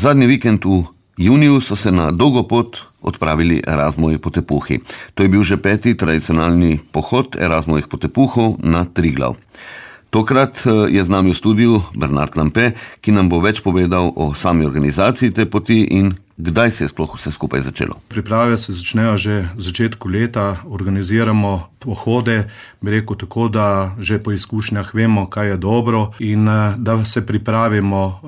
Zadnji vikend v juniju so se na dolgo pot odpravili Erasmovi potepuhi. To je bil že 5. tradicionalni pohod Erasmovih potepuhov na Triglav. Tokrat je z nami v studiu Bernard Lampe, ki nam bo več povedal o sami organizaciji te poti in kdaj se je sploh vse skupaj začelo. Priprave se začnejo že v začetku leta, organiziramo pohode, bi rekel tako, da že po izkušnjah vemo, kaj je dobro in da se pripravimo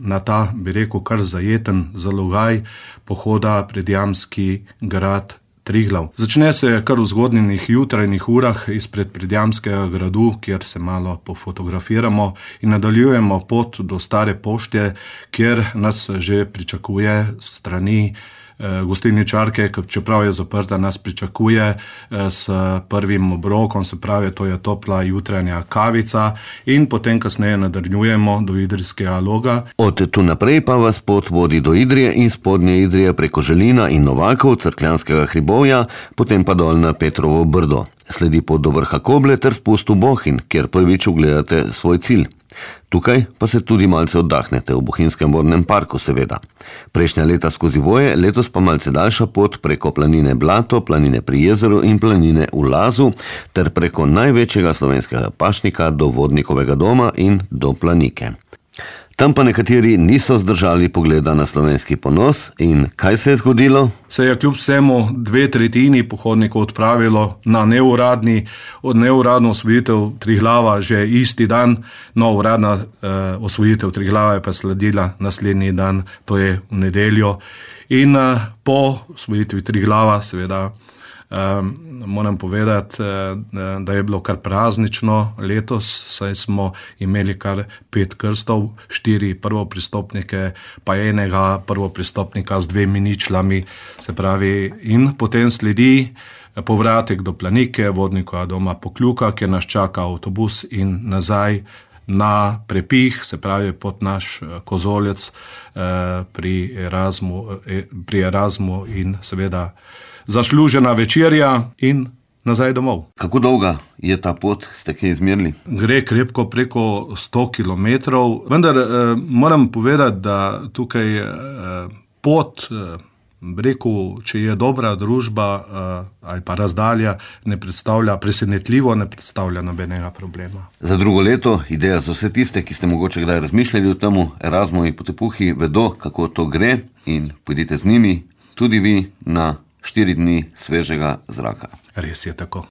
na ta, bi rekel, kar zajeten zalogaj pohoda pred Jamski grad Triglav. Začne se kar v zgodnjih jutrajnih urah izpred Predjamskega gradu, kjer se malo pofotografiramo in nadaljujemo pot do Stare pošte, kjer nas že pričakuje strani gostilničarke, čeprav je zaprta, nas pričakuje s prvim obrokom, se pravi, to je topla jutranja kavica in potem kasneje nadaljujemo do Idrijskega Loga. Od tu naprej pa vas pot vodi do Idrije in Spodnje Idrije preko Želina in Novakov, Cerkljanskega hribovja, potem pa dol na Petrovo Brdo. Sledi pot do vrha Koble ter spust v Bohinj, kjer prvič ugledate svoj cilj. Tukaj pa se tudi malce oddahnete, v Bohinjskem vodnem parku seveda. Prejšnja leta skozi Voje, letos pa malce daljša pot preko planine Blato, planine pri jezeru in planine v Lazu ter preko največjega slovenskega pašnika do Vodnikovega doma in do Planike. Tam pa nekateri niso zdržali pogleda na slovenski ponos in kaj se je zgodilo? Se je kljub vsemu 2/3 pohodnikov odpravilo na neuradno osvojitev Triglava že isti dan, no uradna osvojitev Triglava je pa sledila naslednji dan, to je v nedeljo. In po osvojitvi Triglava seveda moram povedati, da je bilo kar praznično letos, saj smo imeli kar 5 krstov, 4 prvopristopnike, pa enega prvopristopnika z 2 ničlami, se pravi, in potem sledi povratek do Planike, Vodnikovega doma Pokljuka, kjer nas čaka avtobus in nazaj na Prepih, se pravi pod naš kozolec pri Erasmu in seveda zaslužena večerja in nazaj domov. Kako dolga je ta pot, ste kaj izmerili? Gre krepko preko 100 kilometrov, vendar moram povedati, da tukaj pot, rekel, če je dobra družba ali pa razdalja, presenetljivo ne predstavlja nobenega problema. Za drugo leto, ideja za vse tiste, ki ste mogoče kdaj razmišljali o temu, Erasmovi potepuhi vedo, kako to gre in pojdite z njimi tudi vi na 4 dni svežega zraka. Res je tako.